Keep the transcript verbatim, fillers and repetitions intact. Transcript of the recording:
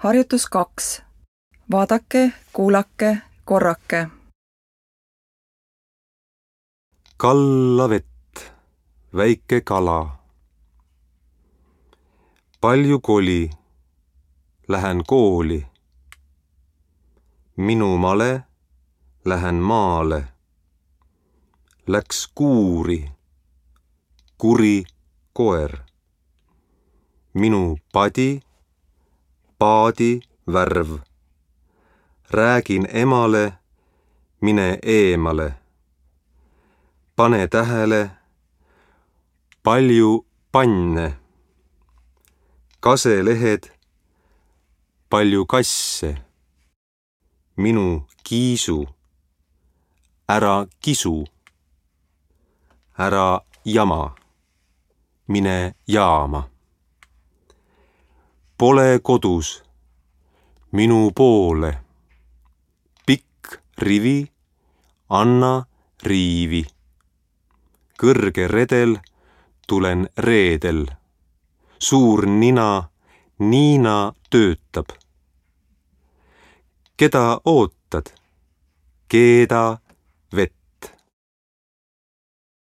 Harjutus kaks. Vaadake, kuulake, korrake. Kalla vett, väike kala. Palju koli, lähen kooli. Minu male, lähen maale. Läks kuuri, kuri koer. Minu padi, paadi värv. Räägin emale, mine eemale. Pane tähele, palju panne. Kaselehed, palju kasse. Minu kiisu, ära kisu. Ära jama, mine jaama. Pole kodus, minu poole. Pikk rivi, anna riivi. Kõrge redel, tulen reedel. Suur nina, Niina töötab. Keda ootad? Keda